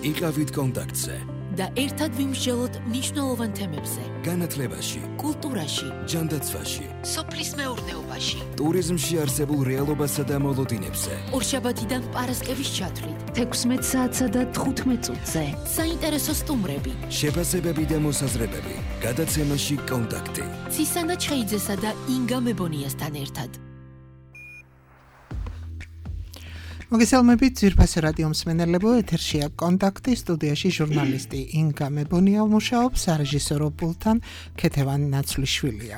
იყავით კონტაქტზე და ერთად ვიმსჯელოთ მნიშვნელოვან თემებზე. განათლებაში, კულტურაში, ჯანდაცვაში, სოფლის მეურნეობაში, ტურიზმში არსებულ რეალობასა და მოლოდინებზე. ორშაბათიდან პარასკევის ჩათვლით, 16 საათსა და 15 წუთზე. საინტერესო სტუმრები, შეფასებები და მოსაზრებები. გადაცემაში კონტაქტი. ცისანა ჩხეიძესა და ინგა მებონიასთან ერთად. მოგესალმებით ძვირფასი რადიო მსმენელებო, ეთერშია კონტაქტი, სტუდიაში ჟურნალისტი ინგა მებონია მუშაობს, სარეჟისორო პულტთან ქეთევან ნაცვლიშვილია.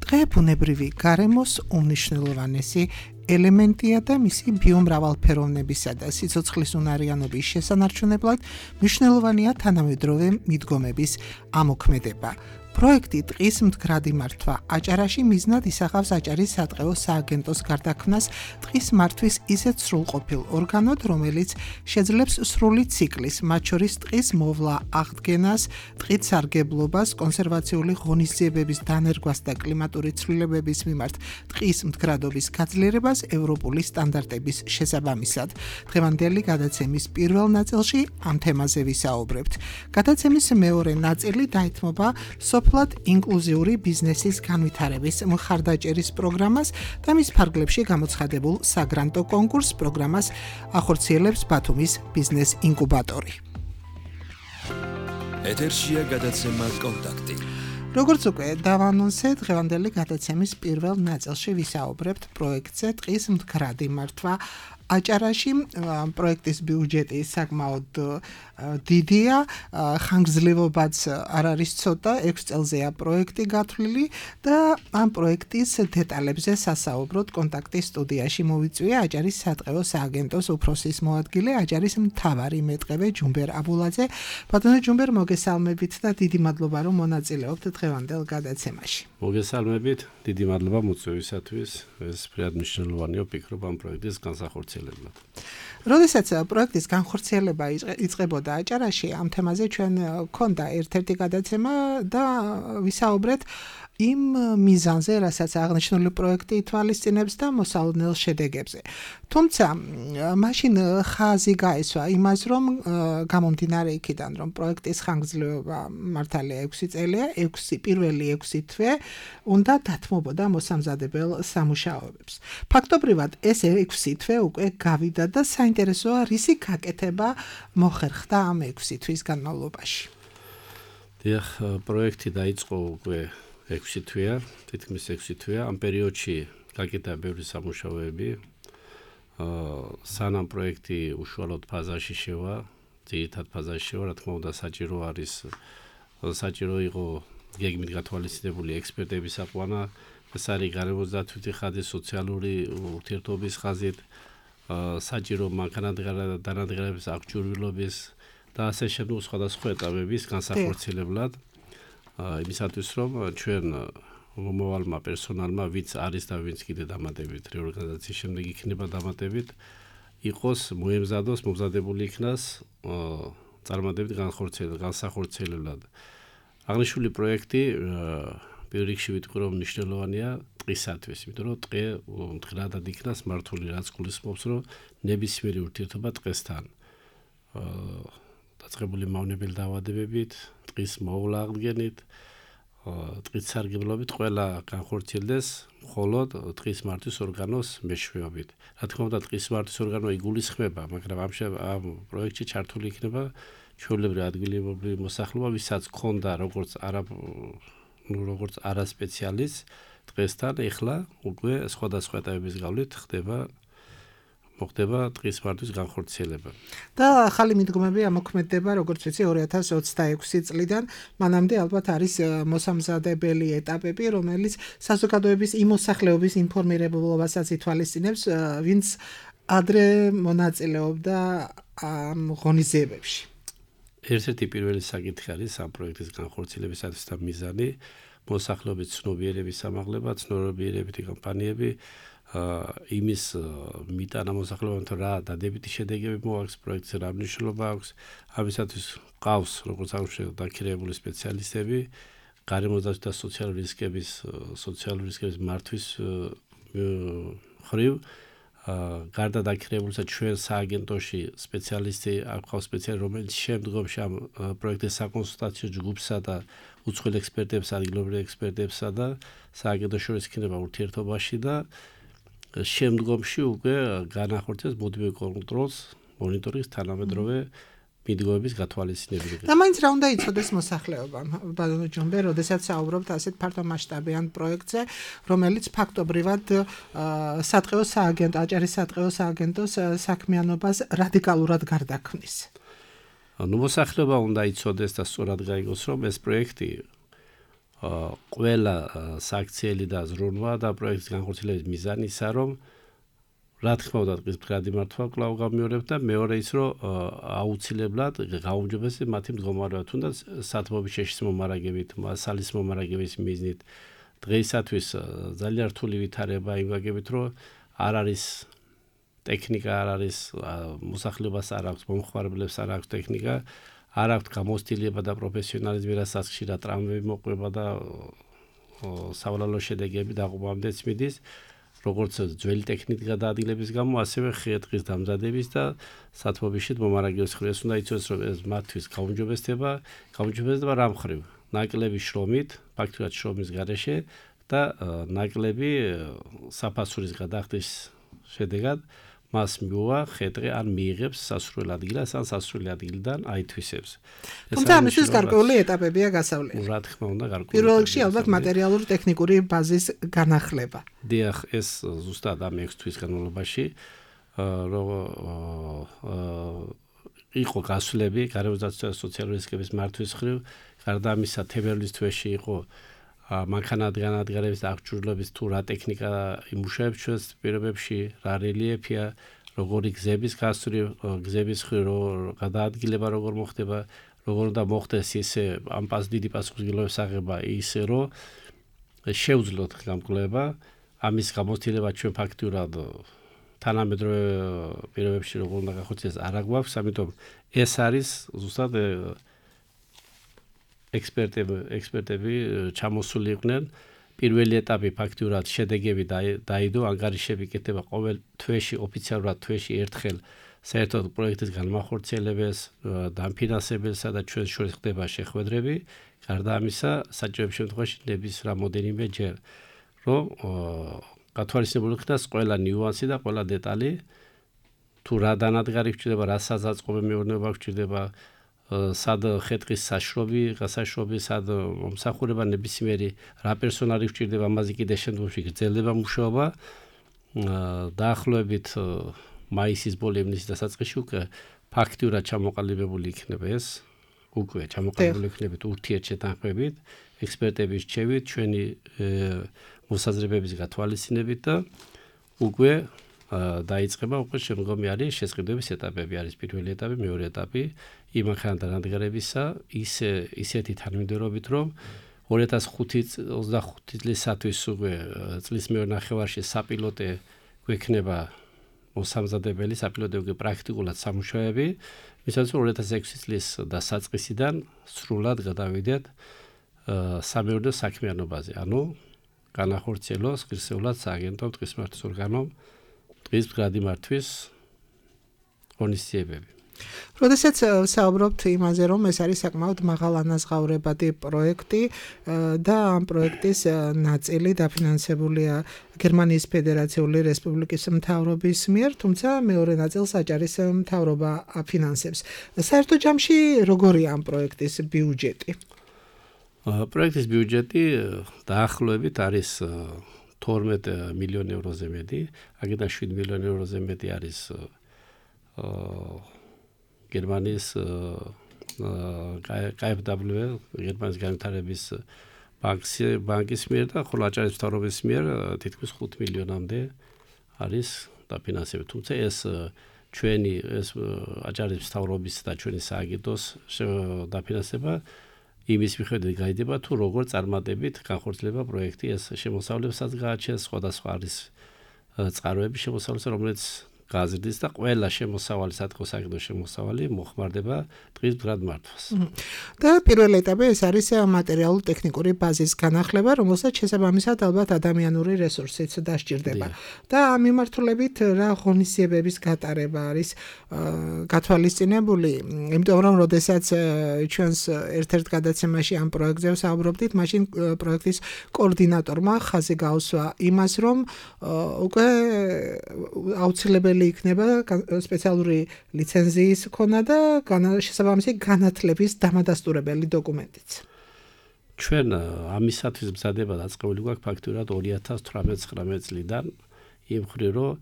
დღე ბუნებრივი გარემოს უმნიშვნელოვანესი ელემენტია და მისი ბიომრავალფეროვნებისა და სიცოცხლის უნარიანობის შესანარჩუნებლად მნიშვნელოვანია თანამედროვე მიდგომების ამოქმედება. პროექტი ტყის მდგრადი მართვა აჭარაში მიზნად ისახავს აჭარის სატყეო სააგენტოს გარდაქმნას ტყის მართვის ისეთ სრულყოფილ ორგანოდ, რომელიც შეძლებს სრული ციკლის, მათ შორის ტყის მოვლა, აღდგენას, ტყით სარგებლობას, კონსერვაციული ღონისძიებების დანერგვას და კლიმატური ცვლილებების მიმართ ტყის მდგრადობის გაძლიერებას ევროპული სტანდარტების შესაბამისად. დღევანდელი გადაცემის პირველ ნაწილში ამ თემაზე ვისაუბრებთ. გადაცემის მეორე ნაწილი დაეთმობა სოფლად ინკლუზიური ბიზნესის განვითარების მხარდაჭერის პროგრამას და მის ფარგლებში გამოცხადებულ საგრანტო კონკურს პროგრამას ახორციელებს ბათუმის ბიზნეს ინკუბატორი. ეთერშია გადაცემა კონტაქტი. როგორც უკვე დავანონსეთ, დღევანდელი გადაცემის პირველ ნაწილში ვისაუბრებთ პროექტზე ტყის მდგრადი მართვა აჭარაში. პროექტის ბიუჯეტი საკმაოდ დიდია, ხანგრძლივობაც არ არის ცოტა, 6 წელზეა პროექტი გათვლილი და ამ პროექტის დეტალებზე სასაუბროდ კონტაქტის სტუდიაში მოვიწვია აჭარის სატყეო სააგენტოს უფროსის მოადგილე, აჭარის მთავარი მეტყევე ჯუმბერ აბულაძე. ბატონო ჯუმბერ, მოგესალმებით და დიდი მადლობა რომ მონაწილეობთ დღევანდელ გადაცემაში. მოგესალმებით, დიდი მადლობა მოწვევისათვის. ეს ფრიად მნიშვნელოვანია, ვფიქრობ ამ პროექტის განსახორციელებლად. როდესაც პროექტის განხორციელება იწყებოდა აჭარაში, ამ თემაზე ჩვენ გქონდა ერთ-ერთი გადაცემა და ვისაუბრეთ იმ მიზანზე, რასაც აღნიშნული პროექტი ითვალისწინებს და მოსალოდნელ შედეგებზე. თუმცა, მაშინ ხაზი გაესვა იმას, რომ გამომდინარე იქიდან, რომ პროექტის ხანგრძლივობა მართალია 6 წელია, პირველი 6 თვე უნდა დათმობოდა მოსამზადებელ სამუშაოებს. ფაქტობრივად ეს 6 თვე უკვე გავიდა და საინტერესოა, რისი გაკეთება მოხერხდა ამ 6 თვის განმავლობაში. დიახ, პროექტი დაიწყო უკვე 6 თვეა, თითქმის 6 თვეა. ამ პერიოდში გაკეთა ბევრი სამუშაოები. სანამ პროექტი უშუალოდ ფაზაში შევა, ძირითად ფაზაში შევა, რა თქმა უნდა, საჭირო იყო გეგმით გათვალისწინებული ექსპერტების აყვანა, ეს არის გარემოს დაცვითი ხაზი, სოციალური ურთიერთობის ხაზით, საჭირო მანქანადღერების აღჭურვილობის და ასე შემდეგ სხვადასხვა ეტაპების განსახორციელებლად. იმისათვის რომ ჩვენ მომავალმა პერსონალმა, ვინც არის და ვინც კიდე დამატებით რეორგანიზაციის შემდეგ იქნება დამატებით, იყოს მომზადებული იქნას წარმატებით განსახორციელებლად. აღნიშნული პროექტი პირველ რიგში ვიტყვი რომ მნიშვნელოვანია ტყისათვის, იმიტომ რომ ტყე მდგრადად იქნას მართული, რაც გულისხმობს რომ ნებისმიერი ურთიერთობა ტყესთან დაწყებული მავნებელი დაავადებებით, ტყის მოვლა აღდგენით, ტყის სარგებლობით ყველა განხორციელდეს მხოლოდ ტყის მართვის ორგანოს მეშვეობით. რა თქმა უნდა, ტყის მართვის ორგანო იგულისხმება, მაგრამ ამ პროექტში ჩართული იქნება ჩვეულებრივი ადგილობრივი მოსახლეობა, ვისაც ჰქონდა როგორც არასპეციალისტ ტყესთან, ეხლა უკვე სხვადასხვა ეტაპების გავლით მოხდება ტყის მართვის განხორციელება. და ახალი მიდგომები ამოქმედება, როგორც ვიცი, 2026 წლიდან, მანამდე ალბათ არის მოსამზადებელი ეტაპები, რომელიც საზოგადოების იმ მოსახლეობის ინფორმირებულობასაც ითვალისწინებს, ვინც ადრე მონაწილეობდა ამ ღონისძიებებში. ერთ-ერთი პირველი საკითხი არის ამ პროექტის განხორციელებისათვის და მიზანი მოსახლეობის ცნობიერების ამაღლება, ცნობიერებითი კამპანიები, იმის მიტანა მოსახლეობამ რა დადებითი შედეგები მოაქვს პროექტზე, რა მნიშვნელობა აქვს. ამისათვის ყავს როგორც აღნიშნეთ დაქირავებული სპეციალისტები, გარემოსდაცვითი და სოციალური რისკების მართვის ხრივ გარდა დაქირავებულისა ჩვენ სააგენტოში სპეციალისტი აქვს სპეციალი რომელიც შემდგომში ამ პროექტის საკონსულტაციო ჯგუფსა და უცხოელ ექსპერტებს, ადგილობრივ ექსპერტებსა და სააგენტოს შორის იქნება ურთიერთობაში და შემდგომში უკვე განახორციელებს მუდმივ კონტროლს, მონიტორინგს თანამედროვე მიდგომების გათვალისწინებით. და მაინც რა უნდა იცოდეს მოსახლეობამ, ბატონო ჯონბე, როდესაც საუბრობთ ასეთ ფართომასშტაბიან პროექტზე, რომელიც ფაქტობრივად სატყეო სააგენტო, აჭარის სატყეო სააგენტოს საქმიანობას რადიკალურად გარდაქმნის. ნუ მოსახლეობა უნდა იცოდეს და სწორად გაიგოს, რომ ეს პროექტი ყველა საქციელი და ზრუნვა და პროექტის განხორციელების მიზანი ისაა, რომ რა თქმა უნდა დღის მდგრადი მართვა კვლავ გამიორებთ და მეორე ის რომ აუცილებლად გაუმჯობესდეს მათი მდგომარეობა თუნდაც სათბობის შეშლის მომარაგებით, მასალის მომარაგების მიზნით დღეისათვის ძალიან რთული ვითარება იმ ვაგებით რომ არ არის ტექნიკა, არ არის მოსახლეობას არ აქვს, მომხმარებლებს არ აქვს ტექნიკა, არ აქვს გამოცდილება და პროფესიონალიზმი, რასაც ხშირად ტრამვები მოყვება და სავალალო შედეგები დაღუპვამდეც მიდის. როგორც ძველი ტექნიკის გადაადგილების გამო, ასევე ხე-ტყის დამზადების და სათბობიშით მომარაგების ხრეს უნდა იცოდეს, რომ ეს მათთვის გაუმჯობესდება რა მხრივ? ნაკლები შრომით, ფაქტურად შრომის გარეშე და ნაკლები საფასურის გადახდის შედეგად მას მიუვა ხე-ტყე ან მიიღებს სასურველ ადგილას ან სასურველი ადგილიდან აითვისებს. თუმცა ამისთვის გარკვეული ეტაპებია გასავლელი. რა თქმა უნდა, გარკვეული. პირველ რიგში ალბათ მატერიალური ტექნიკური ბაზის განახლება. დიახ, ეს ზუსტად ამ 6 თვის განმავლობაში იყო გასვლები გარემოსდაცვა და სოციალური რისკების მართვის ხრივ, გარდა ამისა თებერვლის თვეში იყო მანქანათგანადგარების და აღჭურვილობის თუ რა ტექნიკა იმუშავებს ჩვენს პირობებში, რა რელიეფია, როგორი გზების გასწვრივ, გზების ხრივ გადაადგილება როგორ მოხდება, როგორ უნდა მოხდეს ისე ამ დიდი პასუხისმგებლობის აღება, ისე რომ შეუძლოთ გამკვლევება, ამის გამოცდილება ჩვენ ფაქტურად თანამედროვე პირობებში როგორ უნდა გახორციელდეს არ აგვაქვს, ამიტომ ეს არის ზუსტად ექსპერტები ჩამოსული იყვნენ. პირველი ეტაპი ფაქტურად შედეგები დაიდო, ანგარიშები კეთდება ყოველ თვეში, ოფიციალურად თვეში ერთხელ საერთოდ პროექტის განმახორციელებელს, დამფინანსებელსა და ჩვენს შორის ხდება შეხვედრები. გარდა ამისა, საჭიროების შემთხვევაში ნების რამოდენიმე ჯერ, რომ გათვალისწინებული ხდეს ყველა ნიუანსი და ყველა დეტალი, თუ რა დანადგარი გვჭირდება, რა საზაწყობი მეურნეობა გვჭირდება, სად ხე-ტყის გასაშრობი, სად მომსახურება ნებისმიერი რა პერსონალი გვჭირდება, ამაზე კიდე შემდგომში გრძელდება მუშაობა. დაახლოებით მაისის ბოლო ივნისის დასაწყისში უკვე ფაქტურად ჩამოყალიბებული იქნება ეს, უკვე ჩამოყალიბებული იქნებით ურთიერთშეთანხმებით, ექსპერტების რჩევით, ჩვენი მოსაზრებების გათვალისწინებით და უკვე დაიწყება უკვე შემდგომი არის შესყიდვების ეტაპები, არის პირველი ეტაპი, მეორე ეტაპი იმ მანქანათგანადგარებისა, ისეთი თანმიმდევრობით, რომ 2025 წლისათვის უკვე წლის მეორე ნახევარში საპილოტე გვექნება მოსამზადებელი, საპილოტე უკვე პრაქტიკულად სამუშაოები, ვისაც 2006 წლის დასაწყისიდან სრულად გადავიდეთ სამეურნეო საქმიანობაზე, ანუ განახორციელოს ღირსეულად სააგენტომ ტყის მართვის ორგანომ ტყის მდგრადი მართვის ღონისძიებები. როდესაც საუბრობთ იმაზე, რომ ეს არის საკმაოდ მაღალანაზღაურებადი პროექტი და ამ პროექტის ნაწილი დაფინანსებულია გერმანიის ფედერაციული რესპუბლიკის მთავრობის მიერ, თუმცა მეორე ნაწილს აჭარის მთავრობა აფინანსებს. საერთო ჯამში როგორია ამ პროექტის ბიუჯეტი? პროექტის ბიუჯეტი დაახლოებით არის 12 მილიონი ევროზე მეტი, აქედან 7 მილიონი ევროზე მეტი არის გერმანიის KfW, გერმანიის განვითარების ბანკის მიერ და ხოლო აჭარის მთავრობის მიერ თითქმის 5 მილიონამდე არის დაფინანსებული. თუმცა ეს ჩვენი აჭარის მთავრობის და ჩვენი სააგენტოს დაფინანსება იმის მიხედვით გაიდება თუ როგორ წარმატებით განხორციელება პროექტი, ეს შემოსავლებსაც გააჩენს, სხვადასხვა არის წყაროები შემოსავლისა, რომელიც გაზრდის და ყველა შემოსავალი საწყო-საქმე შემოსავალი მოხმარდება დღის მდგრად მართვას. და პირველ ეტაპი ეს არის მატერიალურ-ტექნიკური ბაზის განახლება, რომელსაც შესაბამისად ალბათ ადამიანური რესურსიც დასჭირდება. და ამ მიმართულებით რა ღონისძიებების გატარება არის გათვალისწინებული, იმიტომ რომ როდესაც ჩვენს ერთ-ერთ გადაცემაში ამ პროექტზე ვსაუბრობდით, მაშინ პროექტის კოორდინატორმა ხაზი გაუსვა იმას, რომ უკვე აუცილებელი იქნება სპეციალური ლიცენზიის ქონა და შესაბამისი განათლების დამადასტურებელი დოკუმენტიც. ჩვენ ამისათვის მზადება დაწყებული გვაქვს ფაქტურად 2018-19 წლიდან იმ მხრივ რომ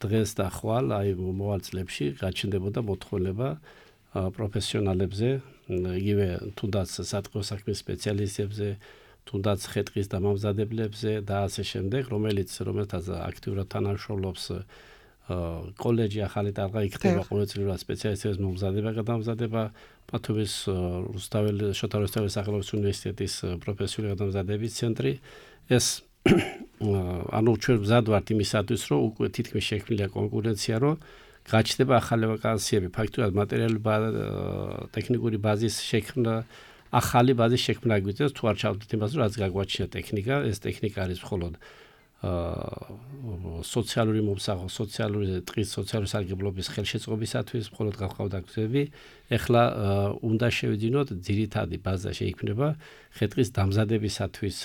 დღეს და ხვალ აი მოვალ წლებში გაჩნდებოდა მოთხოვნება პროფესიონალებზე, იგივე თუნდაც საწყო-საქმის სპეციალისტებზე, თუნდაც ხე-ტყის დამამზადებლებზე და ასე შემდეგ, რომელთაც აქტიურად თანამშრომლობს კოლეჯი ახალი ტალღა იქნება ყოველწლიურად სპეციალისტების მომზადება, გადამზადება, ბათუმის შოთა რუსთაველის სახელობის უნივერსიტეტის პროფესიული გადამზადების ცენტრი. ეს ანუ ჩვენ მზად ვართ იმისათვის, რომ უკვე თითქმის შექმნილია კონკურენცია, რომ გაჩნდება ახალი ვაკანსიები, ფაქტურად მატერიალური ტექნიკური ბაზის შექმნა, ახალი ბაზის შექმნა გვიწევს, თუ არ ჩავდით იმას, რომ რაც გაგვაჩნია ტექნიკა, ეს ტექნიკა არის მხოლოდ სოციალური მომსახო, სოციალური ტყის სოციალური სარგებლობის ხელშეწყობისათვის, მხოლოდ გავყავდა გზები. ეხლა უნდა შევიძინოთ ძირითადი ბაზა შეიქმნება ხე-ტყის დამზადებისათვის,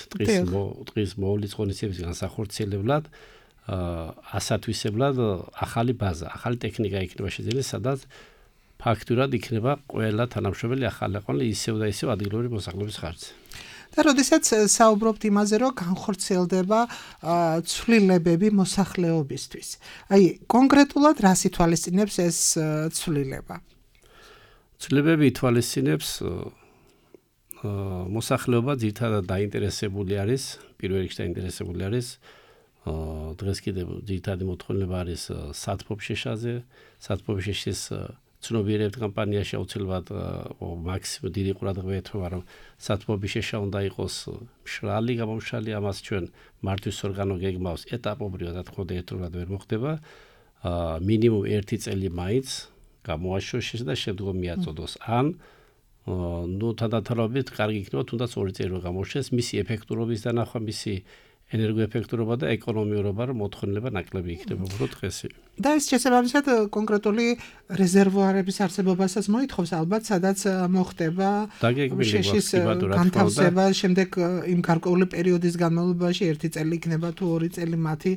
ტყის მოვლის ღონისძიების განსახორციელებლად, ასათვისებლად ახალი ბაზა, ახალი ტექნიკა იქნება შეძენილი, სადაც ფაქტურად იქნება ყველა თანამშრომელი ახალი აყვანილი ისევ და ისევ ადგილობრივი მოსახლეობის ხარჯზე. და როდესაც საუბრობთ იმაზე, რომ განხორციელდება ცვლილებები მოსახლეობისთვის. აი, კონკრეტულად რას ითვალისწინებს ეს ცვლილება? ცვლილებები ითვალისწინებს მოსახლეობა ძირითადად დაინტერესებული არის, პირველ რიგში დაინტერესებული არის დღეს კიდევ ძირითადი მოთხოვნება არის სათბობშეშაზე, სათბობშეშის ცნობიერებთ კამპანიაში აუცილებლად მაქსიმუმ დიდი ყურადღება ეთმობა, რომ სათბობშეშა უნდა იყოს მშრალი, გამომშრალი, ამას ჩვენ მართვის ორგანო გეგმავს ეტაპობრივად, რა თქმა უნდა, ერთდროულად ვერ მოხდება. მინიმუმ 1 წელი მაინც გამოაშოშეს და შემდგომ მიაწოდოს. ან თანდათანობით კარგი იქნება, თუნდაც 2 წელი რომ გამოშეს, მისი ეფექტურობის დანახვა, მისი ენერგოეფექტურობა და ეკონომიურობა, რომ მოთხოვნილება ნაკლები იქნება უბრალოდ დღესი. და ეს შესაბამისად კონკრეტული რეზერვუარების არსებობასაც მოითხოვს ალბათ, სადაც მოხდება შეშის განთავსება, შემდეგ იმ გარკვეული პერიოდის განმავლობაში 1 წელი იქნება თუ 2 წელი მათი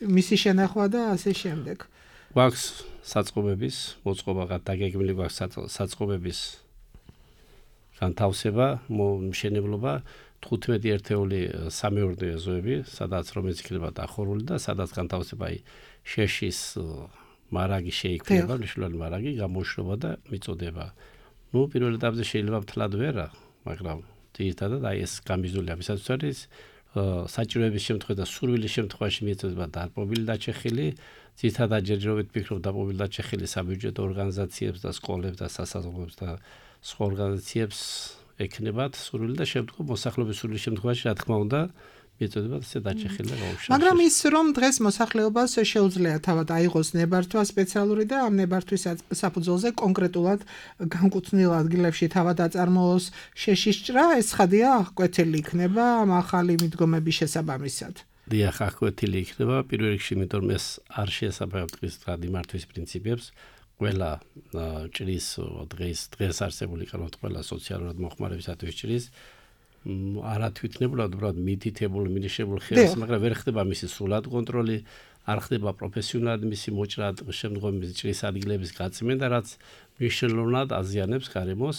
მისი შენახვა და ასე შემდეგ. გვაქვს საწყობების მოწყობა, დაგეგმილი გვაქვს საწყობების განთავსება, მშენებლობა 15 ერთეული სამეურნეო ზოები, სადაც რომელიც იქნება დახურული და სადაც განთავსება შეშის მარაგი შეიქმნება, მნიშვნელოვანი მარაგი, გამოშვება და მიწოდება. პირველ ეტაპზე შეიძლება მთლად ვერა, მაგრამ ძირითადად ეს გამიზნული ამისათვის არის საჭიროების შემთხვევაში და სურვილის შემთხვევაში მიეწოდება დაპყრობილი დაჩეხილი, ძირითადად ჯერჯერობით ფიქრობ დაპყრობილი დაჩეხილი საბიუჯეტო ორგანიზაციებს და სკოლებს და სასაზღვრულოებს და სხვა ორგანიზაციებს ეკნებათ სურვილი და შემდგომ მოსახლეობის სურვილის შემთხვევაში, რა თქმა უნდა, მიეწოდება ესე დაჩეხილი და გაუშვება. მაგრამ ის რომ დღეს მოსახლეობას შეუძლია თავად აიღოს ნებართვა სპეციალური და ამ ნებართვის საფუძველზე კონკრეტულად განკუთვნილ ადგილებში თავად აწარმოოს შეშის ჭრა, ეს ხადია აღკვეთილი იქნება ამ ახალი მიდგომების შესაბამისად. დიახ, აღკვეთილი იქნება პირველ რიგში, იმიტომ რომ ეს არ შეესაბამება ტყის მიმართვის პრინციპებს. ყველა ჭრის დღეს არსებული კანონით ყველა სოციალურად მოხმარებისათვის ჭრის არა თვითნებურად, უბრალოდ მითითებულ, მინიშნებულ ხელს, მაგრამ ვერ ხდება მისი სრულად კონტროლი, არ ხდება პროფესიონალად მისი მოჭრა, შემდგომ მისი ჭრის ადგილების გაწმენდა, რაც მნიშვნელოვნად აზიანებს გარემოს.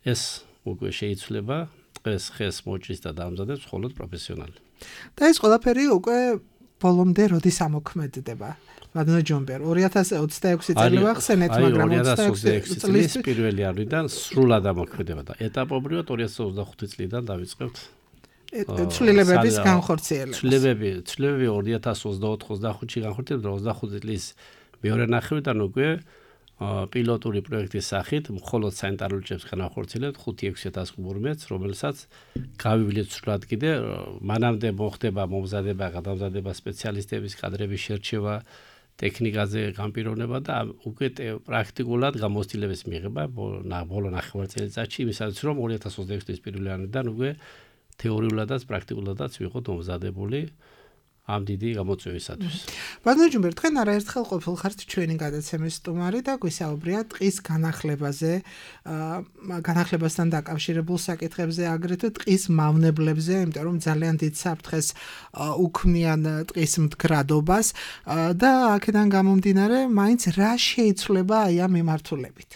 ეს უკვე შეიცვლება დღეს ხეს მოჭრის და დამზადებს მხოლოდ პროფესიონალი. და ეს ყველაფერი უკვე ბოლომდე როდის ამოქმედდება? მადლენ ჯონბერ 2026 წელი ვახსენეთ, მაგრამ 2026 წლის პირველი ივნისიდან სრულად ამოქმედება და ეტაპობრივად 2025 წლიდან დავიწყებთ ცვლილებების განხორციელებას. ცვლილებები 2024-25-ში განხორციელდება 25 წლის მეორე ნახევრიდან უკვე პილოტური პროექტის სახით მხოლოდ სანიტარული ჭრებს განახორციელებთ 5-6000 კუბურ მეტრს, რომელსაც გავივლეთ სრულად კიდე მანამდე მოხდება მომზადება, გადამზადება, სპეციალისტების კადრების შერჩევა ტექნიკაზე განპირობნება და უკვე პრაქტიკულად გამოცდილების მიღება ბოლო ნახევარწელიწადში იმისაც რომ 2026 წლის 1 იანვრიდან უკვე თეორიულადაც პრაქტიკულადაც ვიყოთ მომზადებული ამ დიდი გამოწვევისათვის. ბატონო ჯუმბერ, თქვენ არაერთხელ ყოფილ ხართ ჩვენი გადაცემის სტუმარი და გვისაუბრია ტყის განახლებაზე, განახლებასთან დაკავშირებულ საკითხებზე, აგრეთვე ტყის მავნებლებზე, იმიტომ რომ ძალიან დიდ საფრთხეს უქმნიან ტყის მდგრადობას და აქედან გამომდინარე, მაინც რა შეიცვლება აი ამ მიმართულებით.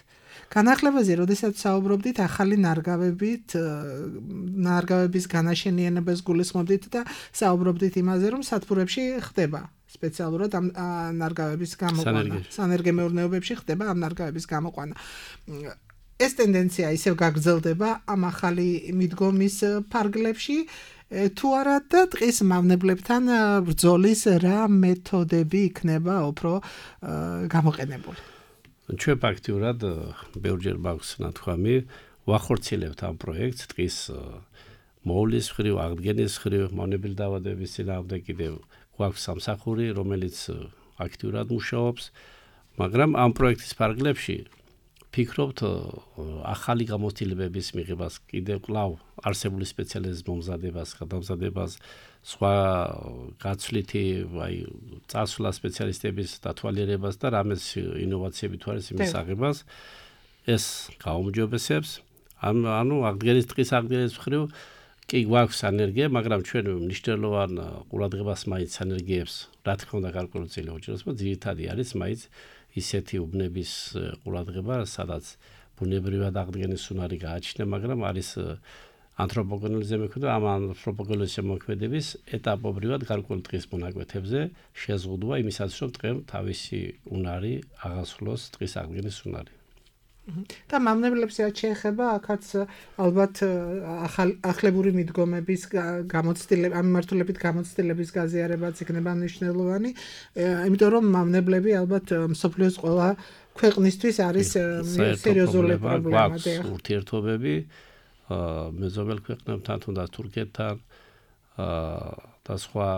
განახლებაზე, როდესაც საუბრობდით, ახალი ნარგავების განაშენიანებას გულისხმობდით და საუბრობდით იმაზე, რომ სათბურებში ხდება სპეციალურად ამ ნარგავების გამოყვანა. სანერგემეურნეობებში ხდება ამ ნარგავების გამოყვანა. ეს ტენდენცია ისევ გაგრძელდება ამ ახალი მიდგომის ფარგლებში, თუ არა და ტყის მავნებლებთან ბრძოლის რა მეთოდები იქნება უფრო გამოყენებული? ჩვენ ფაქტიურად ბევრჯერ მაქვს ნათქვამი ვახორციელებთ ამ პროექტს ტყის მოვლის მხრივ, აღდგენის მხრივ, მავნებელი დაავადებების წინააღმდეგ კიდევ გვაქვს სამსახური, რომელიც აქტიურად მუშაობს, მაგრამ ამ პროექტის ფარგლებში ფიქრობთ ახალი გამოცდილებების მიღებას, კიდევ კვლავ არსებული სპეციალიზმის მომზადებას, გადამზადებას, სხვა გაცვლითი წარსულა სპეციალისტების დათვალიერებას და რამეს ინოვაციები თუ არის იმის აღებას ეს გაუმჯობესებს. ანუ აღდგენის ტყის აღდგენის მხრივ კი გვაქვს ენერგია, მაგრამ ჩვენ მნიშვნელოვან ყურადღებას მაინც ენერგიებს, რა თქმა უნდა, გარკვეული უჭირს, ძირითადი არის მაინც ისეთი უბნების ყურადღება, სადაც ბუნებრივად აღდგენის უნარი გააჩნია, მაგრამ არის ანთროპოგენური ზემოქმედება, ამ ანთროპოგენური ზემოქმედების ეტაპობრივად გარკვეული ტყის მონაკვეთებზე შეზღუდვა იმისაც, რომ ტყემ თავისი უნარი აღასრულოს ტყის აღდგენის უნარი. და მავნებლებს შეეხება აქაც ალბათ ახლებური მიდგომების გამოცდილება, ამ მიმართულებით გამოცდილების გაზიარებაც იქნება მნიშვნელოვანი, იმიტომ რომ მავნებლები ალბათ მსოფლიოს ყველა ქვეყნისთვის არის სერიოზული პრობლემა. ურთიერთობები მეზობელ ქვეყნებთან, თუნდაც თურქეთთან და სხვა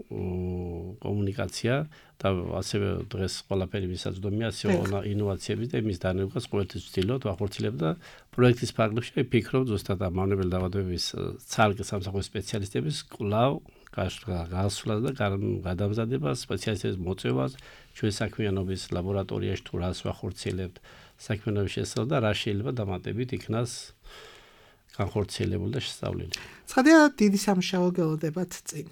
კომუნიკაცია და ასევე დღეს ყველაფერი მისაწვდომია ასეულო ინოვაციების და იმის დანერგვას ყოველთვის ვცდილობთ ვახორციელებთ და პროექტის ფარგლებში ვფიქრობ ზუსტად ამ მავნებელი დაავადებების ცალკე სამსახურის სპეციალისტების კვლავ გასვლას და გადამზადებას, სპეციალისტების მოწევას, ჩვენ საქმიანობის ლაბორატორიაში თუ რას ვახორციელებთ, საქმიანობის შესწავლა და რა შეიძლება დამატებით იქნას განხორციელებული და შესწავლილი. ცხადია, დიდი სამუშაო გელოდებათ წინ.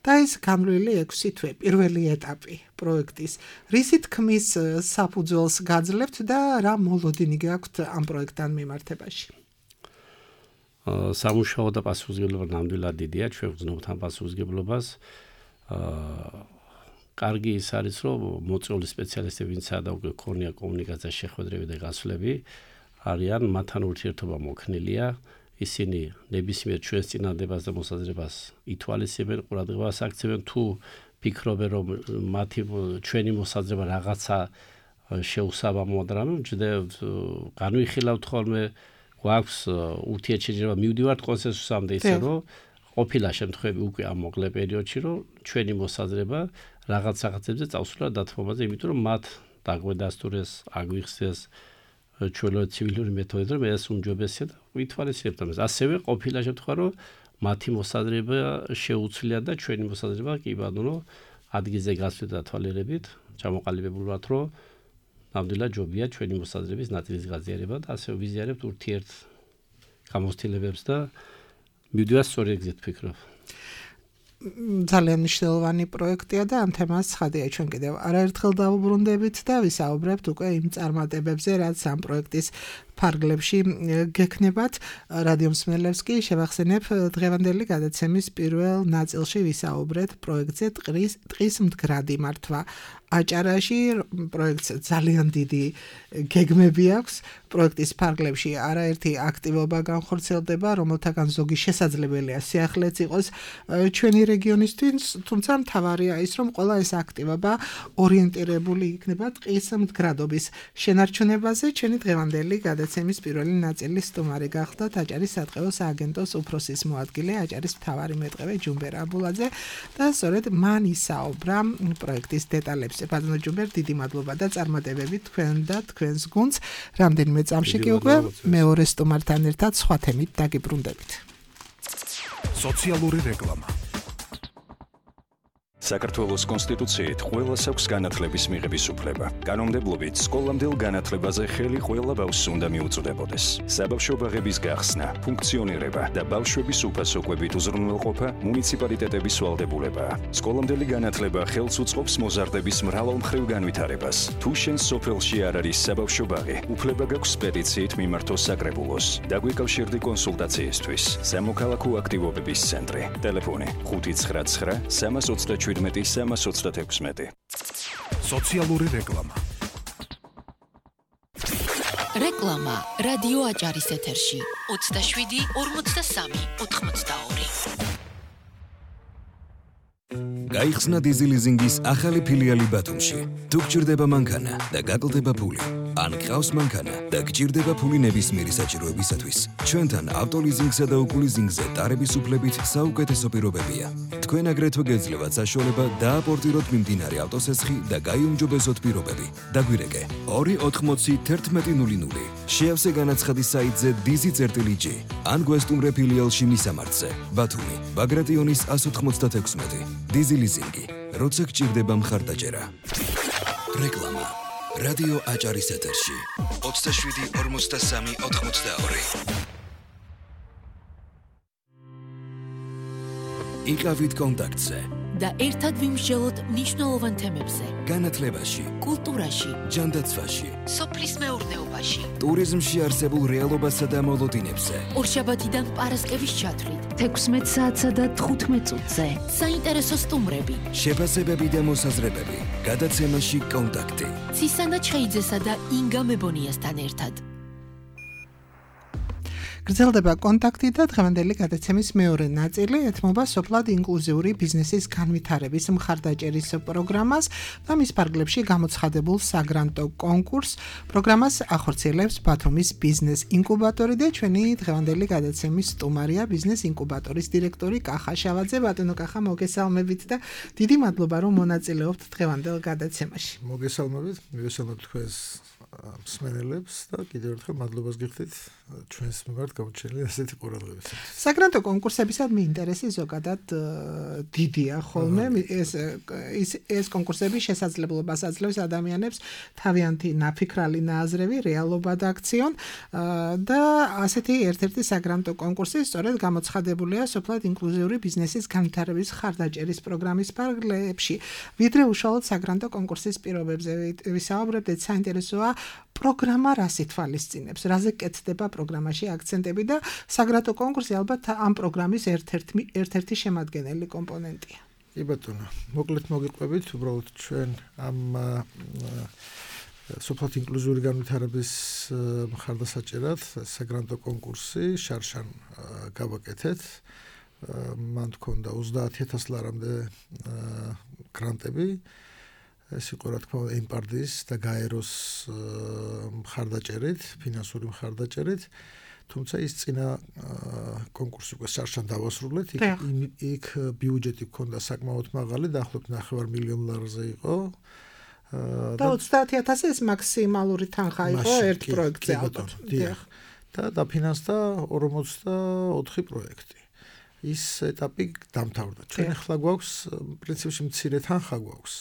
და ეს განვლილი 6 თვე, პირველი ეტაპი პროექტის. რისი თქმის საფუძველს გაძლევთ და რა მოლოდინი გაქვთ ამ პროექტთან მიმართებაში? სამუშაო და პასუხისმგებლობა ნამდვილად დიდია, ჩვენ ვგრძნობთ ამ პასუხისმგებლობას. კარგი ის არის, რომ მოწვეული სპეციალისტები, ვინცაა და უკვე ქონია კომუნიკაციაში შეხვედრები და გასვლები, არიან მათთან ურთიერთობა მოქნილია. ისინი ნებისმიერ ჩვენს წინადადებას და მოსაზრებას ითვალისწინებენ, ყურადღებას აქცევენ, თუ ფიქრობენ, რომ მათი ჩვენი მოსაზრება რაღაცა შეუსაბამოა და რამე ვჯდევთ, განვიხილავთ ხოლმე, გვაქვს ურთიერთშეჯიბრება, მივდივართ კონსენსუსამდე ისე, რომ ყოფილა შემთხვევები უკვე ამ მოკლე პერიოდში, რომ ჩვენი მოსაზრება რაღაცებზე წავსულა დათმობაზე, იმიტომ რომ მათ დაგვედასტურეს, აგვიხსეს ჩვენო ცივილური მეთოდით, რომ ეს უმჯობესია და ვითვალისწინებთ ამას. ასევე ყოფილა შემთხვევა, რომ მათი მოსაზრება შეუცვლია და ჩვენი მოსაზრება კი ბატონო ადგილზე გასვლით და თვალიერებით ჩამოყალიბებული ვართ, რომ ნამდვილად ჯობია ჩვენი მოსაზრების ნაწილის გაზიარება და ასევე ვიზიარებთ ურთიერთ გამოცდილებებს და მივდივართ სწორი ეგზით ფიქრობ. ძალიან მნიშვნელოვანი პროექტია და ამ თემას ცხადია ჩვენ კიდევ არაერთხელ დავუბრუნდებით და ვისაუბრებთ უკვე იმ წარმატებებზე, რაც ამ პროექტის ფარგლებში გექნებათ. რადიო მსმენელებს კი შევახსენებ დღევანდელი გადაცემის პირველ ნაწილში ვისაუბრეთ პროექტზე ტყის მდგრადი მართვა აჭარაში. პროექტს ძალიან დიდი გეგმები აქვს. პროექტის ფარგლებში არაერთი აქტივობა განხორციელდება, რომელთაგან ზოგი შესაძლებელია სიახლეც იყოს ჩვენი რეგიონისთვის, თუმცა მთავარია ის, რომ ყველა ეს აქტივობა ორიენტირებული იქნება ტყის მდგრადობის შენარჩუნებაზე. ჩვენი დღევანდელი გადაცემის პირველი ნაწილის სტუმარი გახდათ აჭარის სატყეო სააგენტოს უფროსის მოადგილე აჭარის მთავარი მეტყევე ჯუმბერ აბულაძე და სწორედ მან ისაუბრა პროექტის დეტალებზე. ბატონო ჯუმბერ, დიდი მადლობა და წარმატებები თქვენ და თქვენს გუნდს. რამდენიმე წამში კი უკვე მეორე სტუმართან ერთად სხვა თემით დაგიბრუნდებით. სოციალური რეკლამა. საქართველოს კონსტიტუციით ყველას აქვს განათლების მიღების უფლება. კანონმდებლობით სკოლამდელ განათლებაზე ხელი ყველა ბავშვს უნდა მიუწვდებოდეს. საბავშვო ბაღების გახსნა, ფუნქციონირება და ბავშვების უფასო კვებით უზრუნველყოფა მუნიციპალიტეტების ვალდებულებაა. სკოლამდელი განათლება ხელს უწყობს მოზარდების მრავალმხრივ განვითარებას. თუ შენ სოფელში არ არის საბავშვო ბაღი, უფლება გაქვს პეტიციით მიმართო საკრებულოს. დაგვიკავშირდი კონსულტაციისთვის. სამოქალაქო აქტივობების ცენტრი. ტელეფონი 599 327 336. სოციალური რეკლამა. რეკლამა რადიო აჭარის ეთერში 27 43 82. გაიხსნა დიზილიზინგის ახალი ფილიალი ბათუმში. თუ გჭირდება მანქანა და გაკლდება ფული, ან გყავს მანქანა და გჭირდება ფული ნებისმიერი საჭიროებისათვის, ჩვენთან ავტოლიზინგსა და უკულიზინგზე ტარების უფლებით საუკეთესო პირობებია. თქვენ აგრეთვე გეძლევათ საშუალება დააპორტიროთ მიმდინარე ავტოსესხი და გაიუმჯობესოთ პირობები. დაგვირეკე 280 1100. შეავსე განაცხადი საიტზე dizi.g ან გვესტუმრე ფილიალში მისამართზე. ბათუმი, ბაგრატიონის 196. დიზილიზინგი, როცა გჭირდება მხარდაჭერა. რეკლამა. რადიო აჭარის ეთერში 27 43 82. იყავით კონტაქტზე და ერთად ვიმსჯელოთ მნიშვნელოვან თემებზე. განათლებაში, კულტურაში, ჯანდაცვაში, სოფლის მეურნეობაში, ტურიზმში არსებულ რეალობასა და მოლოდინებზე. ორშაბათიდან პარასკევის ჩათვლით, 16 საათსა და 15 წუთზე. საინტერესო სტუმრები, შეფასებები და მოსაზრებები. გადაცემაში კონტაქტი. ცისანა ჩხეიძესა და ინგა მებონიასთან ერთად. გრძელდება კონტაქტი და დღევანდელი გადაცემის მეორე ნაწილი ეთმობა სოფლად ინკლუზიური ბიზნესის განვითარების მხარდაჭერის პროგრამას და მის ფარგლებში გამოცხადებულ საგრანტო კონკურსს. პროგრამას ახორციელებს ბათუმის ბიზნეს ინკუბატორი და ჩვენი დღევანდელი გადაცემის სტუმარია ბიზნეს ინკუბატორის დირექტორი კახა შავაძე. ბატონო კახა, მოგესალმებით და დიდი მადლობა რომ მონაწილეობთ დღევანდელ გადაცემაში. მოგესალმებით, მივესალმებ თქვენს მსმენელებს და კიდევ ერთხელ მადლობას გიხდით ჩვენს მიმართ გამოჩენილი ასეთი ყურადღებისთვის. საგრანტო კონკურსებისადმი ინტერესი ზოგადად დიდია ხოლმე. ეს კონკურსები შესაძლებლობას აძლევს ადამიანებს თავიანთი ნაფიქრალი ნააზრევი რეალობად აქციონ და ასეთი ერთ-ერთი საგრანტო კონკურსი სწორედ გამოცხადებულია სოფლად ინკლუზიური ბიზნესის განვითარების მხარდაჭერის პროგრამის ფარგლებში. ვიდრე უშუალოდ საგრანტო კონკურსის პირობებზე ვისაუბრებთ, საინტერესოა პროგრამა რას ითვალისწინებს, რაზე კეთდება პროგრამაში აქცენტები და საგრანტო კონკურსი ალბათ ამ პროგრამის ერთ-ერთი შემადგენელი კომპონენტია. კი ბატონო, მოკლედ მოგიყვებით, უბრალოდ ჩვენ ამ სოფლად ინკლუზიური განვითარების მხარდასაჭერად საგრანტო კონკურსი შარშან გავაკეთეთ. მან თქონდა 30,000 ლარამდე გრანტები. ეს იყო რა თქმა უნდა ემპარდის და გაეროს მხარდაჭერით, ფინანსური მხარდაჭერით, თუმცა ის წინა კონკურსი უკვე შარშან დავასრულეთ. იქ ბიუჯეტი ჰქონდა საკმაოდ მაღალი, დაახლოებით 9 მილიონ ლარზე იყო. და 30,000 ეს მაქსიმალური თანხა იყო ერთ პროექტზე ალბათ. და დაფინანსდა 44 პროექტი. ის ეტაპი დამთავრდა. ჩვენ ახლა გვაქვს პრინციპში მცირე თანხა გვაქვს.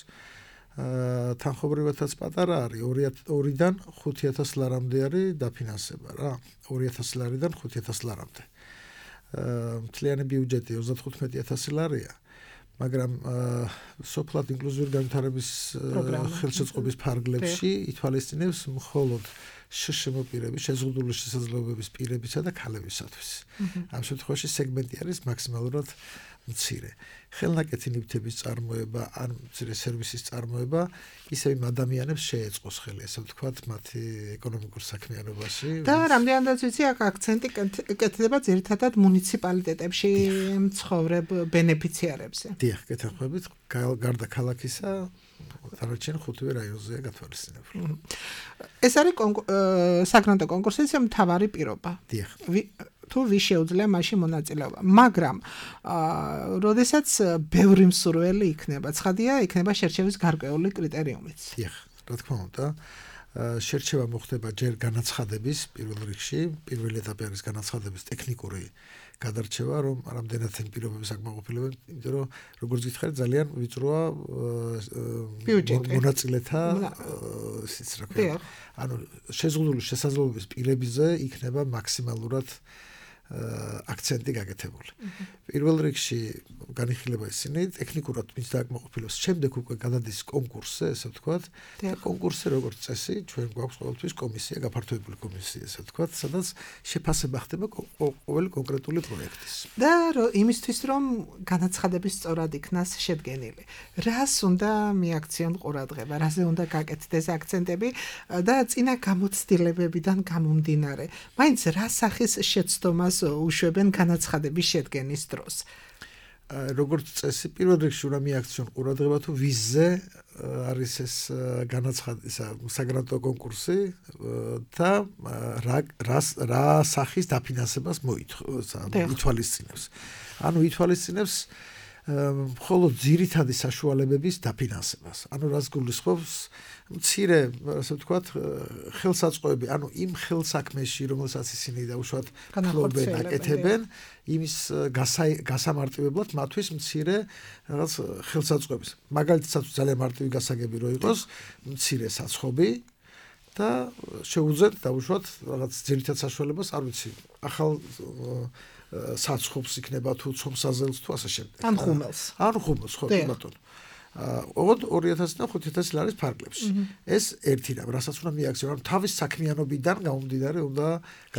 თანხობრივადაც პატარა არის 2-დან 5,000 ლარამდე არის დაფინანსება რა 2,000 ლარიდან 5,000 ლარამდე. მთლიანი ბიუჯეტი 35,000 ლარია, მაგრამ სოფლად ინკლუზიური განვითარების ხელშეწყობის ფარგლებში ითვალისწინებს მხოლოდ შშმ პირების, შეზღუდული შესაძლებლობების პირებისა და ქალებისათვის. ამ შემთხვევაში სეგმენტი არის მაქსიმალურად მცირე. ხელნაკეთი ნივთების წარმოება ან მცირე სერვისის წარმოება ისევ იმ ადამიანებს შეეწყოს ხელი, ასე ვთქვათ, მათი ეკონომიკურ საქმიანობაში. და რამდენადაც ვიცი, აქ აქცენტი კეთდება ძირითადად მუნიციპალიტეტებში მცხოვრებ ბენეფიციარებზე. დიახ, გეთანხმებით, გარდა ქალაქისა დანარჩენ 5-ვე რაიონზეა გათვალისწინებული. ეს არის საგრანტო კონკურსის მთავარი პირობა. დიახ. თუ ვის შეუძლია მაშინ მონაწილეობა. მაგრამ როდესაც ბევრი მსურველი იქნება, ცხადია, იქნება შერჩევის გარკვეული კრიტერიუმიც. დიახ, რა თქმა უნდა. შერჩევა მოხდება ჯერ განაცხადების პირველ რიგში, პირველი ეტაპი არის განაცხადების ტექნიკური გადარჩევა, რომ რამდენად են პირობები საკმაყოფილებენ, იმიტომ რომ როგორც გითხარით, ძალიან ვიწროა მონაწილეთა ისიც რა ქვია. ანუ შეზღუდული შესაძლებლობის პირებზე იქნება მაქსიმალურად აქცენტი გაკეთებული. პირველ რიგში განიხილება ისინი ტექნიკურად მის დაკმაყოფილებას, შემდეგ უკვე გადადის კონკურსზე, ესე ვთქვათ. და კონკურსზე როგორც წესი, ჩვენ გვაქვს ყოველთვის კომისია, გაფართოებული კომისია, ესე ვთქვათ, სადაც შეფასება ხდება ყოველი კონკრეტული პროექტის. და იმისთვის, რომ განაცხადების სწორად იქნას შედგენილი. რას უნდა მიაქციონ ყურადღება, რაზე უნდა გაკეთდეს აქცენტები და წინა გამოცდილებებიდან გამომდინარე. მაინც რა სახის შეცდომას უშვებენ განაცხადების შედგენის დროს. როგორც წესი, პირველ რიგში უნდა მიაქციონ ყურადღება თუ ვიზზე არის ეს საგრანტო კონკურსი და რა სახის დაფინანსებას ითვალისწინებს. ანუ ითვალისწინებს მხოლოდ ძირითადი საშუალებების დაფინანსებას. ანუ რას გულისხმობს მცირე, ასე ვთქვათ, ხელსაწყოები, ანუ იმ ხელსაქმეში, რომელსაც ისინი დაუშვათ ფლობენ, აკეთებენ, იმის გასამარტივებლად მათთვის მცირე რაღაც ხელსაწყოების. მაგალითად, ძალიან მარტივი გასაგები რო იყოს, მცირე საცხობი და შეუძლიათ დაუშვათ რაღაც ძირითად საშუალებას, არ ვიცი, ახალ საცხობს იქნება თუ ცომსაზელს თუ ასე შემდეგ. ან ხუმელს. ან ხუმელს, ხო, ბატონო. 2000 და 5000 ლარის ფარგლებში. ეს ერთი რამ, რასაც უნდა მიაქციონ, ანუ თავის საქმიანობიდან გამომდინარე უნდა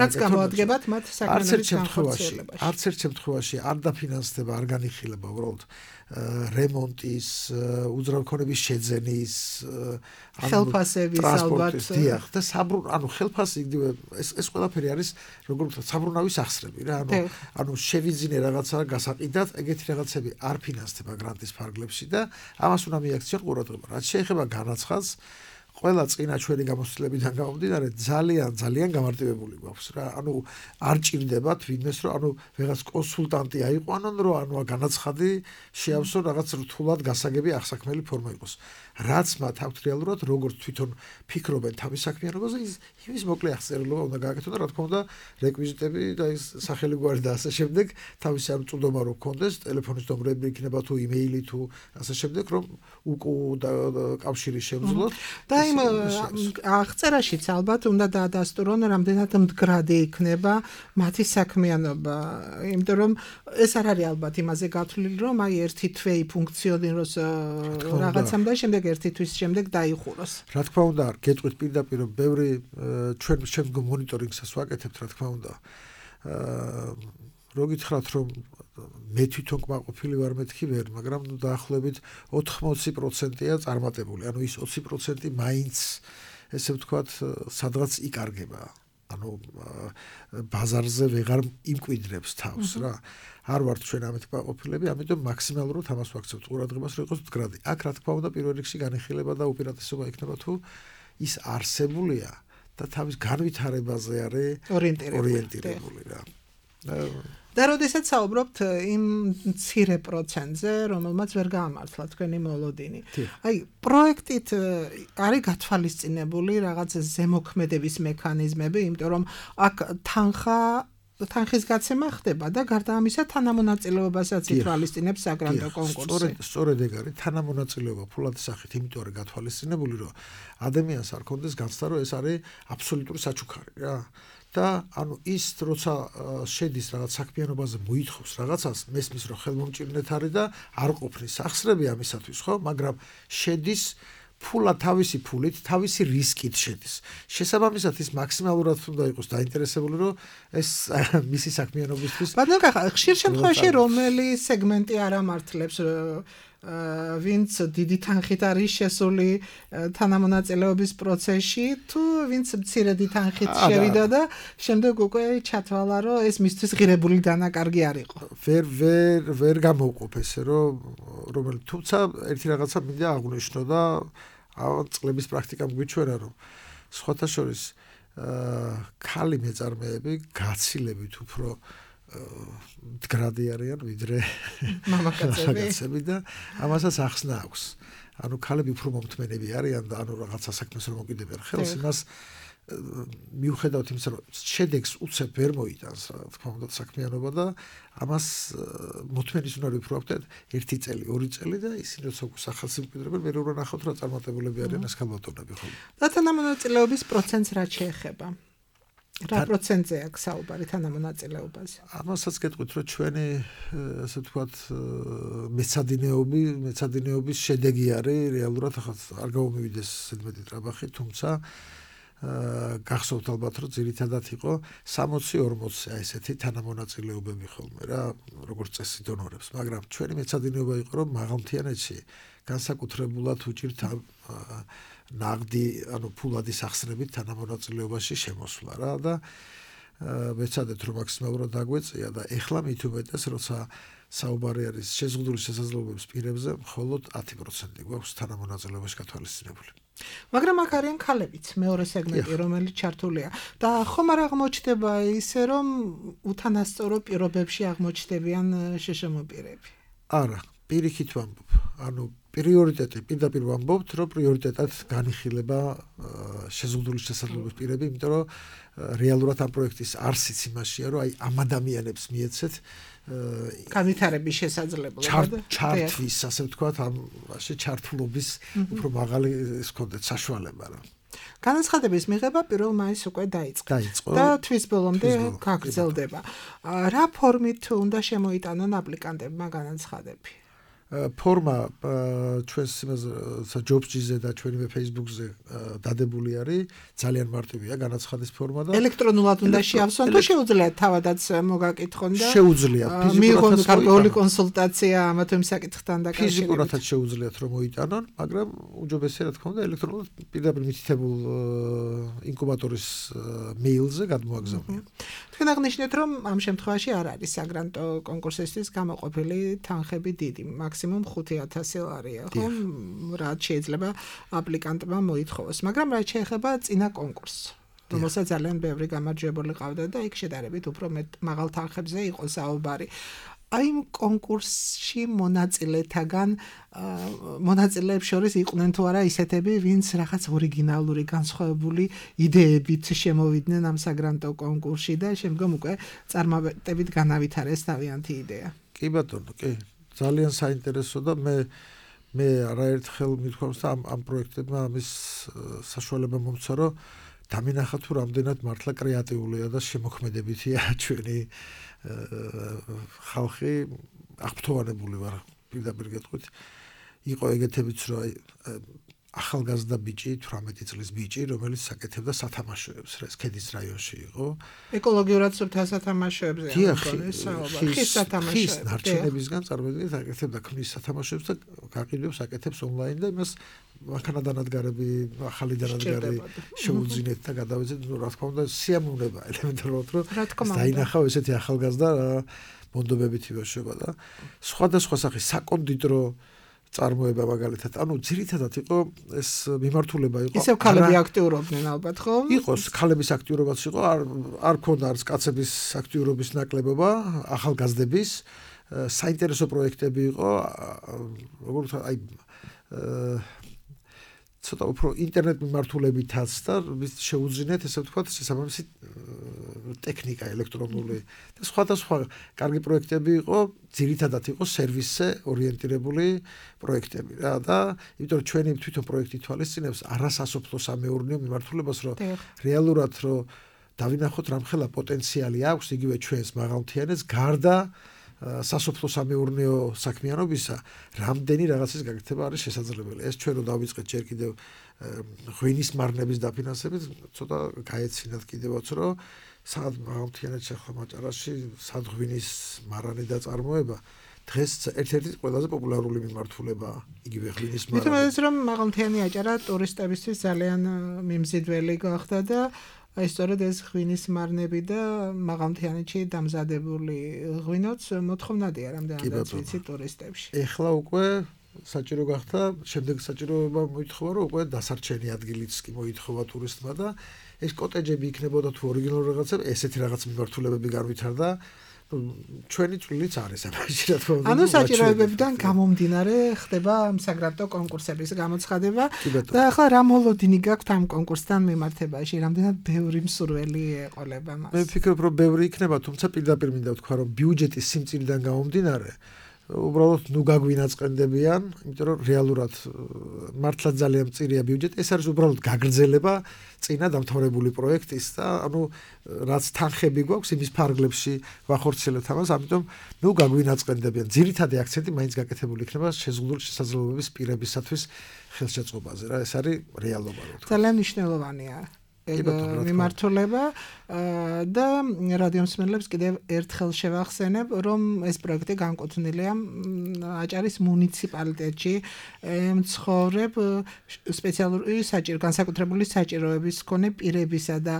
რაც გამოადგებათ მათ საქმიანობის განხორციელებაში. არც ერთ შემთხვევაში არ დაფინანსდება, არ განიხილება უბრალოდ რემონტის, უძრავქონების შეძენის, ხელფასების ალბათ. დიახ, და ანუ ხელფასი იგივე ეს ყველაფერი არის როგორც საბრუნავის ახსრები რა, ანუ შევიძინე რაღაცა გასაყიდად, ეგეთი რაღაცები არ ფინანსდება გრანტის ფარგლებში და ამას უნდა მიაქციონ ყურადღება. რაც შეეხება განაცხადს, ყველა წინა ჩვენი გამოცდილებიდან გამომდინარე ძალიან გამარტივებული გვაქვს რა. ანუ არ ჭირდებათ ვინმეს რომ ანუ ვიღაც კონსულტანტი აიყვანონ რომ ანუ განაცხადი შეავსონ რაღაც რთულად გასაგები ახსაქმელი ფორმა იყოს. რაც მათ აქვთ რეალურად როგორც თვითონ ფიქრობენ თავის საქმიანობაზე, იმის მოკლე აღწერილობა უნდა გააკეთონ და რა თქმა უნდა რეკვიზიტები და ის სახელი გვარი და ასე შემდეგ თავისი ამ წვდომა რო გქონდეს, ტელეფონის ნომრები იქნება თუ იმეილი თუ ასე შემდეგ რომ კავშირი შევძლოთ. და იმ აღწერაშიც ალბათ უნდა დაადასტურონ რამდენად მდგრადი იქნება მათი საქმიანობა, იმიტომ რომ ეს არ არის ალბათ იმაზე გათვლილი რომ აი ერთი თვეი ფუნქციონიროს რაღაცამ და შემდეგ ერთი თვის შემდეგ დაიხუროს. რა თქმა უნდა, გეტყვით პირდაპირ რომ ბევრი ჩვენ შემდგომ მონიტორინგსაც ვაკეთებთ, რა თქმა უნდა. რო გითხრათ რომ მე თვითონ კმაყოფილი ვარ მეთქი ვერ, მაგრამ დაახლოებით 80%-ია წარმატებული. ანუ ის 20% მაინც ესე ვთქვათ, სადღაც იკარგება. ანუ ბაზარზე ვეღარ იმკვიდრებს თავს რა. არ ვართ ჩვენ ამით კმაყოფილები, ამიტომ მაქსიმალურად ამას ვაქცევთ ყურადღებას, რომ იყოს მდგრადი. აქ რა თქმა უნდა, პირველ რიგში განიხილება და უპირატესობა იქნება თუ ის არსებულია და თავის განვითარებაზე არის ორიენტირებული რა. და როდესაც საუბრობთ იმ მცირე პროცენტზე, რომელმაც ვერ გაამართლა თქვენი მოლოდინი. აი, პროექტით არის გათვალისწინებული რაღაც ზემოქმედების მექანიზმები, იმიტომ რომ აქ თანხის გაცემა ხდება და გარდა ამისა თანამონაწილეობასაც ითვალისწინებს საგრანტო კონკურსი. სწორედ ეგ არის თანამონაწილეობა ფულადის სახით, იმიტომ არის გათვალისწინებული, რომ ადამიანს არ კონდეს განცდა, რომ ეს არის აბსოლუტური საჩუქარი რა. და ანუ ის როცა შედის რაღაც საქმიანობაზე მოითხოვს რაღაცას, მესმის რომ ხელმომჭირნეთ არის და არ ყოფნის ახსრები ამისათვის, ხო? მაგრამ შედის ფულა თავისი ფულით, თავისი რისკით შედის. შესაბამისად ის მაქსიმალურად უნდა იყოს დაინტერესებული, რომ ეს მისი საქმიანობისთვის. ბატონო, ხშირ შემთხვევაში რომელი სეგმენტი არ ამართლებს ვინც დიდი თანხით არის შესული თანამონაწილეობის პროცესში, თუ ვინც მცირედი თანხით შევიდა და შემდეგ უკვე ჩათვალა, რომ ეს მისთვის ღირებული დანაკარგი არ იყო. ვერ გამოვყოფ ესე, რომ თუმცა ერთი რაღაცა მინდა აღვნიშნო და წლების პრაქტიკამ გვიჩვენა, რომ სხვათა შორის ქალი მეწარმეები გაცილებით უფრო მდგრადი არიან ვიდრე მამაკაცები და ამასაც ახსნა აქვს. ანუ ქალები უფრო მომთმენები არიან და ანუ რაღაცა საქმეს რომ მოკიდებიან ხელს, იმას მიუხედავად იმისა, რომ შედეგს უცებ ვერ მოიტანს, რა თქმა უნდა, საქმიანობა და ამას მოთმენის უნარი უფრო აქვთ 1 წელი, 2 წელი და ისინი როცა სახალხო მკვიდრებენ, მე რო ნახავთ რა წარმატებულები არიან ეს ქალბატონები ხოლმე. და თანამონაწილეობის პროცენტს რა შეეხება? რა პროცენტზე აქვს საუბარი თანამონაწილეობაზე? ამასაც გეტყვით, რომ ჩვენი ასე ვთქვათ მეცადინეობის შედეგი არის რეალურად ახლა არ გამომივიდეს ზედმეტი ტრაბახი, თუმცა გახსოვთ ალბათ, რომ ძირითადად იყო 60-40 აი ესეთი თანამონაწილეობები ხოლმე რა, როგორც წესი დონორებს, მაგრამ ჩვენი მეცადინეობა იყო, რომ მაღალმთიანეთში განსაკუთრებულად უჭირთ ნაღდი, ანუ ფულადი სახსრებით თანამონაწილეობაში შემოსვლა რა და მეცადეთ, რომ მაქსიმალურად დაგვეწია და ეხლა მით უმეტეს, როცა საუბარი არის შეზღუდული შესაძლებლობების პირებზე, მხოლოდ 10% გვაქვს თანამონაწილეობაში გათვალისწინებული. მაგრამ აქ არიან ქალებიც, მეორე სეგმენტი, რომელიც ჩართულია და ხომ არ აღმოჩნდება ისე, რომ უთანასწორო პირობებში აღმოჩნდებიან შშმ პირები? არა, პირიქით ვამბობ. ანუ პრიორიტეტი პირდაპირ ვამბობთ, რომ პრიორიტეტად განიხილება შეზღუდული შესაძლებლობის პირები, იმიტომ რომ რეალურად ამ პროექტის არსიც იმაშია, რომ აი ამ ადამიანებს მიეცეთ განვითარების შესაძლებლობა ჩართვის, ასე ვთქვათ, ამ ჩართულობის უფრო მაღალი ის კონდეთ საშუალება რა. განაცხადების მიღება 1 მაისს უკვე დაიწყო და თვის ბოლომდე გაგრძელდება. რა ფორმით უნდა შემოიტანონ აპლიკანტებმა განაცხადები? ფორმა ჩვენს ჯობსჯიზე და ჩვენივე Facebook-ზე დადებული არის, ძალიან მარტივია განაცხადის ფორმა და ელექტრონულად უნდა შეავსონ თუ შეუძლიათ თავადაც მოგაკითხონ და შეუძლიათ მიიღონ გარკვეული კონსულტაცია ამა თუ იმ საკითხთან დაკავშირებით. ფიზიკურადაც შეუძლიათ რომ მოიტანონ, მაგრამ უჯობესია რა თქმა უნდა ელექტრონულად პირდაპირ მითითებულ ინკუბატორის მეილზე გადმოაგზავნიან. თქვენ აღნიშნეთ რომ ამ შემთხვევაში არ არის საგრანტო კონკურსისთვის გამოყოფილი თანხები დიდი, მაქსიმუმ 5,000 ლარია, ხო? რაც შეიძლება აპლიკანტმა მოითხოვოს, მაგრამ რაც შეეხება წინა კონკურსს, რომელსაც ძალიან ბევრი გამარჯვებული ყავდა და იქ შედარებით უფრო მაღალ თანხებზე იყო საუბარი. აი იმ კონკურსში მონაწილეებს შორის იყვნენ თუ არა ისეთები, ვინც რაღაც ორიგინალური განსხვავებული იდეებით შემოვიდნენ ამ საგრანტო კონკურსში და შემდგომ უკვე წარმატებით განავითარეს თავიანთი იდეა. კი ბატონო, კი. ძალიან საინტერესო და მე არაერთხელ მithქვამს და ამ პროექტებმა ამის საშუალება მომცა, რომ დამინახა თუ რამდენად მართლა კრეატიულია და შემოქმედებითია ჩვენი ხალხი, აღფრთოვანებული ვარ პირდაპირ გეტყვით. იყო ეგეთებიც, რომ აი ახალგაზრდა ბიჭი, 18 წლის ბიჭი, რომელიც საკეთებდა სათამაშოებს, ეს ქედის რაიონში იყო. ეკოლოგიურად სუფთა სათამაშოებზე ხის სათამაშოებს. ხის ნარჩენებისგან წარმოიდგინეთ, აკეთებდა ქმნის სათამაშოებს და გაყიდვებს აკეთებს ონლაინ და იმას მანქანა დანადგარები, ახალი დანადგარი შეუძინეთ და გადავეცეთ, ну, რა თქმა უნდა, სიამოვნება ელემენტარულად, რომ დაინახავ ესეთი ახალგაზრდა მონდობებით იბაშება და სხვადასხვა სახის საკონდიტრო წარმოება მაგალითად, ანუ ძირითადად იყო ეს მიმართულება იყო. ისევ ქალები აქტიურობდნენ ალბათ, ხო? იყოს ქალების აქტიურობაც იყო, არ ქონდა არც კაცების აქტიურობის ნაკლებობა, ახალგაზრდების, საინტერესო პროექტები იყო, როგორც აი ცოტა უფრო ინტერნეტ მიმართულებითაც და შეუძინეთ ესე ვთქვათ შესაბამისი ტექნიკა ელექტრონული და სხვადასხვა კარგი პროექტები იყო, ძირითადად იყო სერვისზე ორიენტირებული პროექტები რა და იმიტომ რომ ჩვენი თვითონ პროექტი თვალისწინებს არასასოფლო სამეურნეო მიმართულებას, რომ რეალურად რომ დავინახოთ რამხელა პოტენციალი აქვს იგივე ჩვენს მაღალმთიანეთს გარდა სასოფლო სამეურნეო საქმიანობისა, რამდენი რაღაცის გაკეთება არის შესაძლებელი. ეს ჩვენ რო დავიწყეთ ჯერ კიდევ ღვინის მარნების დაფინანსებით, ცოტა გაეცინათ კიდევაც, რომ სად მაღალმთიანეთში ახლა მაჭარაში სად ღვინის მარანი და წარმოება დღეს ერთ-ერთი ყველაზე პოპულარული მიმართულებაა იგივე ღვინის მარაგი. მithom ეს რომ მაღალმთიანი აჭარა ტურისტებისთვის ძალიან მიმზიდველი გახდა და აი სწორედ ეს ღვინის მარნები და მაღალმთიანეთში დამზადებული ღვინოც მოთხოვნადია რამდენადაც ვიცი ტურისტებში. ეხლა უკვე საჭირო გახდა, შემდეგ საჭიროება მოითხოვა, რომ უკვე დასარჩენი ადგილიც კი მოითხოვა ტურისტმა და ეს კოტეჯები იქნებოდა თუ ორიგინალური რაღაცა, ესეთი რაღაც მიმართულებები განვითარდა. ჩვენი წვლილიც არის ამაში რა თქმა უნდა. ანუ საჭიროებებიდან გამომდინარე ხდება საგრაფტო კონკურსების გამოცხადება და ახლა რა მოლოდინი გაქვთ ამ კონკურსთან მიმართებაში, რამდენად ბევრი მსურველი ეყოლება მას. მე ვფიქრობ, რომ ბევრი იქნება, თუმცა პირდაპირ მინდა ვთქვა, რომ ბიუჯეტის სიმწირიდან გამომდინარე უბრალოდ ნუ გაგვინაწყენდებიან, იმიტომ რომ რეალურად მართლა ძალიან მწირია ბიუჯეტი, ეს არის უბრალოდ გაგრძელება წინა დამთავრებული პროექტის და ანუ რაც თანხები გვაქვს იმის ფარგლებში ვახორციელებთ ამას, ამიტომ ნუ გაგვინაწყენდებიან. ძირითადი აქცენტი მაინც გაკეთებული იქნება შეზღუდული შესაძლებლობების პირებისათვის ხელშეწყობაზე რა, ეს არის რეალობა რა თქმა უნდა. ძალიან მნიშვნელოვანია მიმართულება და რადიო მსმენელებს კიდევ ერთხელ შევახსენებ, რომ ეს პროექტი განკუთვნილია აჭარის მუნიციპალიტეტში მცხოვრებ სპეციალური განსაკუთრებული საჭიროების მქონე პირებისა და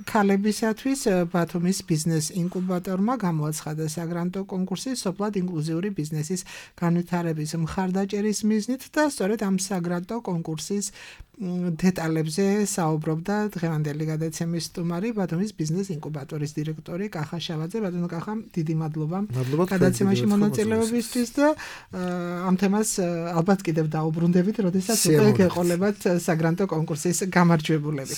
ქალებისათვის ბათუმის ბიზნეს ინკუბატორმა გამოაცხადა საგრანტო კონკურსი სოფლად ინკლუზიური ბიზნესის განვითარების მხარდაჭერის მიზნით და სწორედ ამ საგრანტო კონკურსის დეტალებზე საუბრობდა დღევანდელი გადაცემის სტუმარი ბათუმის ბიზნეს ინკუბატორის დირექტორი კახა შავაძე. ბატონო კახა, დიდი მადლობა გადაცემაში მონაწილეობისთვის და ამ თემას ალბათ კიდევ დაუბრუნდებით, როდესაც უკვე გეყოლებათ საგრანტო კონკურსის გამარჯვებულები.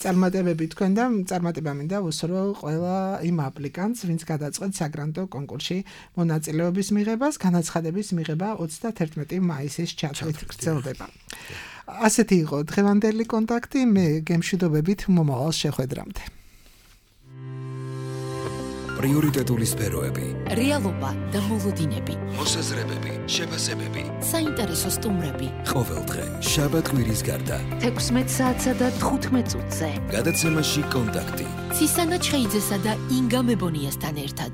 წარმატებები თქვენ და წარმატება მინდა უსურვო ყველა იმ აპლიკანტს, ვინც გადაწყვეტ საგრანტო კონკურსში მონაწილეობის მიღებას. განაცხადების მიღება 31 მაისის ჩათვლით გრძელდება. ასეთი იყო დღევანდელი კონტაქტი, მე გემშვიდობებით მომავალ შეხვედრამდე. პრიორიტეტული სფეროები, რეალობა და მოლოდინები, მოსაზრებები, შეფასებები, საინტერესო სტუმრები. ყოველდღე შაბათ-კვირის გარდა 16 საათსა და 15 წუთზე გადაცემაში კონტაქტი. ცისანა ჩხეიძესა და ინგა მებონიასთან ერთად.